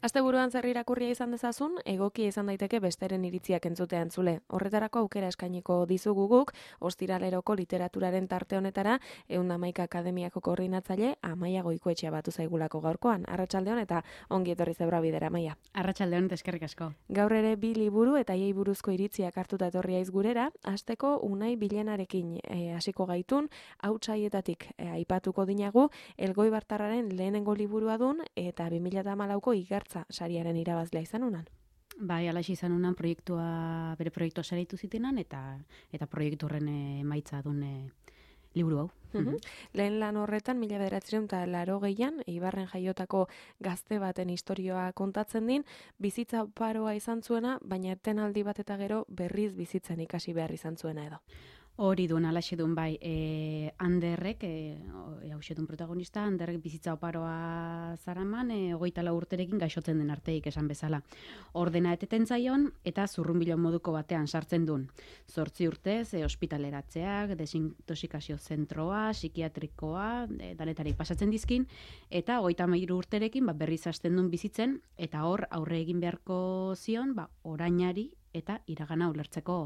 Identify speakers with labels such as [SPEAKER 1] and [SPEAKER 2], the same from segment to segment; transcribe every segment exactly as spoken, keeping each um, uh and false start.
[SPEAKER 1] Asteburuan zer irakurria izan dezazun, egokia izan daiteke besteren iritziak entzutea entzule. Horretarako aukera eskainiko dizugu guk, ostiraleroko literaturaren tarte honetara, ehun eta hamaika akademiako koordinatzaile Amaia Goikoetxea batu zaigulako gaurkoan. Arratsaldeon eta ongi etorri Zebra Bidera, Amaia.
[SPEAKER 2] Arratsaldeon eta eskerrik asko.
[SPEAKER 1] Gaur ere bi liburu eta haiei buruzko iritziak hartuta etorria iz gurera, hasteko Unai Bilenarekin eh, hasiko gaitun, hautsaietatik eh, aipatuko dinagu, Elgoibartarraren lehenengo liburua dun eta bi mila hamalauko igartza sariaren irabazlea izan unan.
[SPEAKER 2] Bai, alaxi izan unan proiektua, bere proiektua saritu zitenan eta eta proiektu horren emaitza dun e, liburu hau.
[SPEAKER 1] Uhum. Lehen lan horretan, mila bederatziehun eta laurogeian, Eibarren jaiotako gazte baten istorioa kontatzen din, bizitza paroa izan zuena, baina etenaldi bat eta gero berriz bizitzen ikasi behar izan zuena edo.
[SPEAKER 2] Hori duen, alaxe duen, bai, e, Anderrek, e, hause duen protagonista, Anderrek bizitza oparoa zaraman, e, hogeita lau urterekin gaixotzen den arteik esan bezala. Ordena eteten zaion, eta zurrunbilon moduko batean sartzen duen. Zortzi urtez, e, ospitaleratzeak, desintoxikazio zentroa, psikiatrikoa, e, danetarik pasatzen dizkin, eta hogeita hamairu urterekin ba, berriz hasten duen bizitzen, eta hor aurre egin beharko zion, ba, orainari eta iragana ulertzeko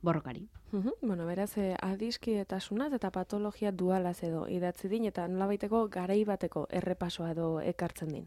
[SPEAKER 2] borrokari.
[SPEAKER 1] Uhum. Bueno, beraz, eh, adiskidetasunaz eta patologia dualaz edo idatzi din, eta nolabaiteko garai bateko errepasoa edo ekartzen din.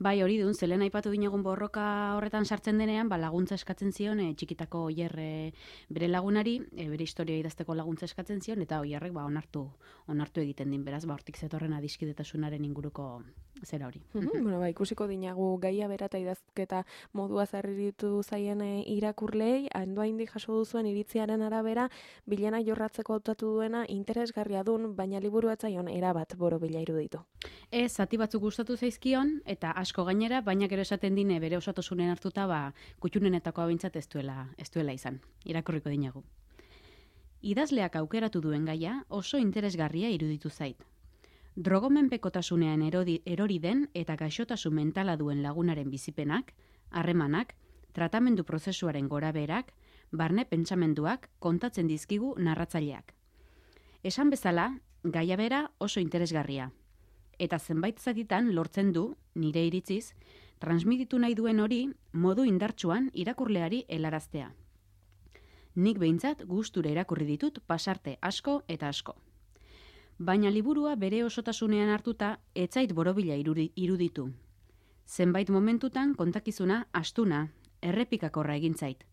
[SPEAKER 2] Bai, hori dun, zelen aipatu dinagun borroka horretan sartzen denean, ba, laguntza eskatzen zion, e, txikitako oier e, bere lagunari, e, bere historia idazteko laguntza eskatzen zion, eta oierrek ba, onartu, onartu egiten din, beraz, ba, hortik zetorren adiskidetasunaren inguruko zera hori.
[SPEAKER 1] Uhum. Bueno, ba, ikusiko dinagu gaia bera eta idazketa modua zarritu zaien e, irakurlei, handoa indi jaso duzuen iritziaren arabera, Bilena jorratzeko hautatu duena interesgarria dun, baina liburu atzaion erabat borobila iruditu.
[SPEAKER 2] Ez, zati batzuk gustatu zaizkion, eta asko gainera, baina gero esaten dine bere osotasunen hartuta, ba, kutxunenetako abintzat ez duela, ez duela izan. Irakurriko dinagu. Idazleak aukeratu duen gaia oso interesgarria iruditu zait. Drogomenpekotasunean erodi, erori den eta gaixotasun mentala duen lagunaren bizipenak, harremanak, tratamendu prozesuaren goraberak, barne pentsamenduak kontatzen dizkigu narratzaileak. Esan bezala, gaia bera oso interesgarria. Eta zenbait zatitan lortzen du, nire iritziz, transmititu nahi duen hori modu indartsuan irakurleari helaraztea. Nik behintzat gustura irakurri ditut pasarte asko eta asko. Baina liburua bere osotasunean hartuta etzait borobila iruditu. Zenbait momentutan kontakizuna astuna, errepikakorra egin zait.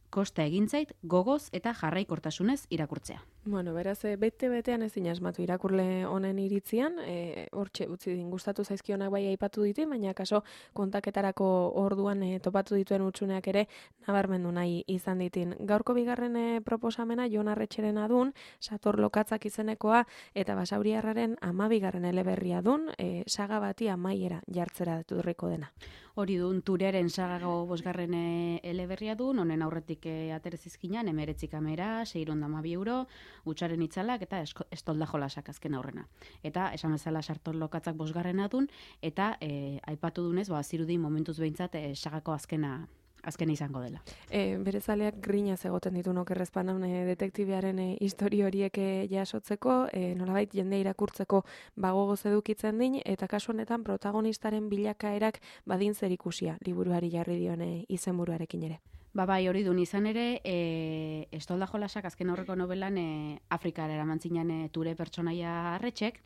[SPEAKER 2] Kosta egin zait gogoz eta jarraikortasunez irakurtzea.
[SPEAKER 1] Bueno, beraz, bete-betean ezin asmatu irakurle honen iritzian, e, hortxe utzi din gustatu zaizkionak bai aipatu ditu, baina kaso kontaketarako orduan e, topatu dituen utsuneak ere nabarmendu nahi izan ditin. Gaurko bigarren e, proposamena Jon Arretxeren adun, Sator Lokatzak izenekoa, eta Basauriarraren amabigarren eleberria dun, e, saga bati amaiera jartzera durriko dena.
[SPEAKER 2] Hori dun, Turearen sagago bosgarren eleberria dun, honen aurretik e, aterezizkinan, emeretzi kamera, seiron damabi euro, utxaren itzalak eta estolda jolasak azken aurrena. Eta esan bezala Sator Lokatzak bosgarrena dun, eta e, aipatu dunez, ba, zirudi momentuz behintzat e, sagako azkena azkena izango dela.
[SPEAKER 1] E, bere zaleak grinaz egoten ditu nokerrezpanan e, detektibearen e, histori horiek e, jasotzeko, e, nolabait jende irakurtzeko bagogoz edukitzen din, eta kasu honetan protagonistaren bilakaerak badin zer ikusia liburuari jarri dione izenburuarekin ere.
[SPEAKER 2] Ba bai, hori dun izan ere, e, Estolda jolasak azken aurreko novelan e, Afrikara eraman zinan e, Ture pertsonaia Arretxek,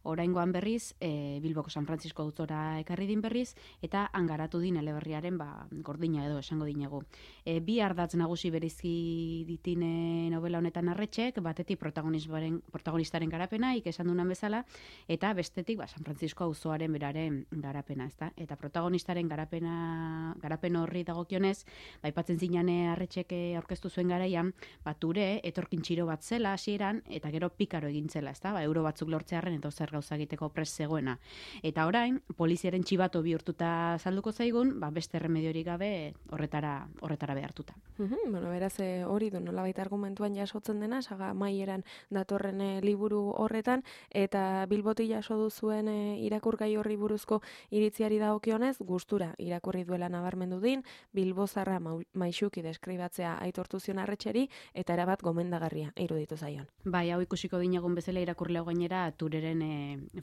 [SPEAKER 2] oraingoan berriz, e, Bilboko San Francisco autora ekarri din berriz, eta hangaratu din eleberriaren ba, gordina edo esango dinegu. E, bi ardatz nagusi berizki ditine novela honetan Arretxek, batetik protagonistaren, protagonistaren garapena, ikesan dunan bezala, eta bestetik ba, San Francisco auzoaren beraren garapena, ezta? Eta protagonistaren garapena, garapen horri dagokionez, ba, zinane Arretxeke aurkeztu zuen garaian, ba, Ture etorkin txiro bat zela hasieran eta gero pikaro egin zela, ezta? Ba, euro batzuk lortzearren eta zer gauza egiteko prest zegoena. Eta orain, poliziaren txibato bihurtuta salduko zaigun, ba, beste remediorik gabe horretara horretara behartuta.
[SPEAKER 1] Uhum, bueno, beraz e, hori du nolabait argumentuan jasotzen dena, saga amaieran datorren e, liburu horretan, eta Bilboti jaso duzuen e, irakurgai horri buruzko iritziari dagokionez, gustura irakurri duela nabarmendu din, Bilbozarra maixuki deskribatzea aitortu zion Arretxeri, eta erabat gomendagarria iruditu zaion.
[SPEAKER 2] Bai, hau ikusiko dinagun bezala irakurlea gainera Tureren e,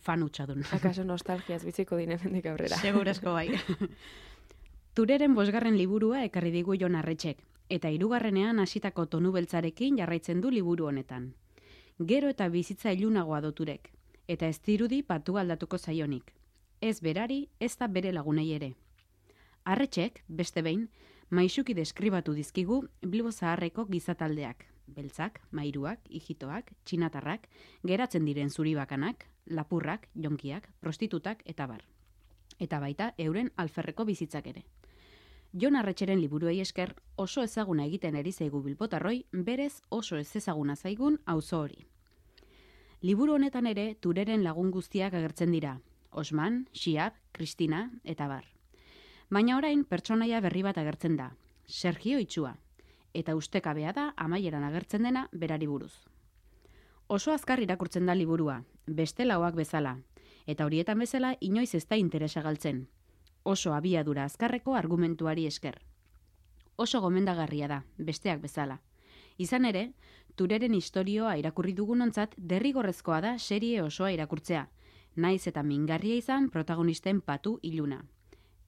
[SPEAKER 2] fan hutsa dun.
[SPEAKER 1] Akaso nostalgiaz biziko dinen hendik aurrera.
[SPEAKER 2] Segurazko bai. Tureren bosgarren liburua ekarri digu Jon Arretxek, eta hirugarrenean hasitako tonu beltzarekin jarraitzen du liburu honetan. Gero eta bizitza ilunagoa do Turek, eta ez dirudi patu aldatuko zaionik. Ez berari, ez da bere lagunei ere. Arretxek, beste behin, maisuki deskribatu dizkigu Bilbo Zaharreko gizataldeak, beltzak, mairuak, ijitoak, txinatarrak, geratzen diren zuribakanak, lapurrak, jonkiak, prostitutak eta bar. Eta baita euren alferreko bizitzak ere. Jon Arretxeren liburuei esker oso ezaguna egiten ari zaigu bilbotarroi, berez oso ez ezaguna zaigun auzo hori. Liburu honetan ere Tureren lagun guztiak agertzen dira, Osman, Xiab, Kristina eta bar. Baina orain pertsonaia berri bat agertzen da, Sergio Itxua, eta ustekabea da amaieran agertzen dena berari buruz. Oso azkar irakurtzen da liburua, beste lauak bezala, eta horietan bezala inoiz ez da interesa galtzen. Oso abiadura azkarreko argumentuari esker. Oso gomendagarria da, besteak bezala. Izan ere, Tureren istorioa irakurri dugunontzat derrigorrezkoa da serie osoa irakurtzea, naiz eta mingarria izan protagonisten patu iluna.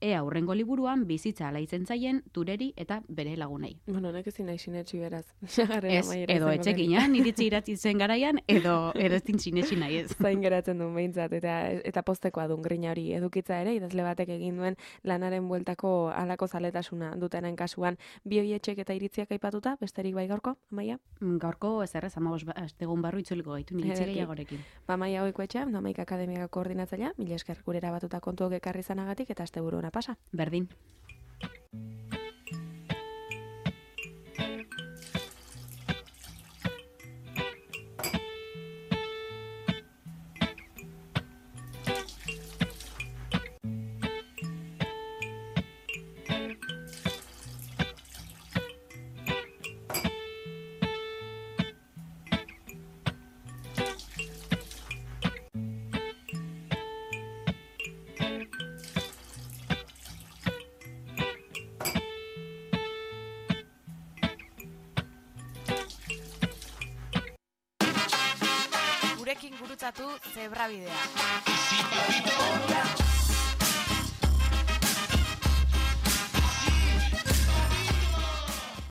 [SPEAKER 2] Ea hurrengo liburuan bizitza alaitzen zaien Tureri eta bere lagunei.
[SPEAKER 1] Bueno, honek ezin nahi sinetsi beraz.
[SPEAKER 2] Ez, edo etxekina, niritzi iratzi zen garaian, edo edo ezin sinetsi nahi ez.
[SPEAKER 1] Zain geratzen duen behintzat, eta, eta postekoa duen grina hori edukitza ere, idazle batek egin duen lanaren bueltako halako zaletasuna dutenen kasuan, bi hoietxek eta iritziak aipatuta, besterik bai gaurko, Amaia?
[SPEAKER 2] Gaurko ez errez, amabos astegun barru itzuliko gaitu, niritzi gehiagorekin.
[SPEAKER 1] Ba, Amaia Oiko etxea, Amaika Akademiako koordinatzailea, mila esker gurera batuta kontuok ekarri zanagatik, eta asteburu ona pasa.
[SPEAKER 2] Berdin.
[SPEAKER 3] Gurekin gurutzatu Zebrabidea.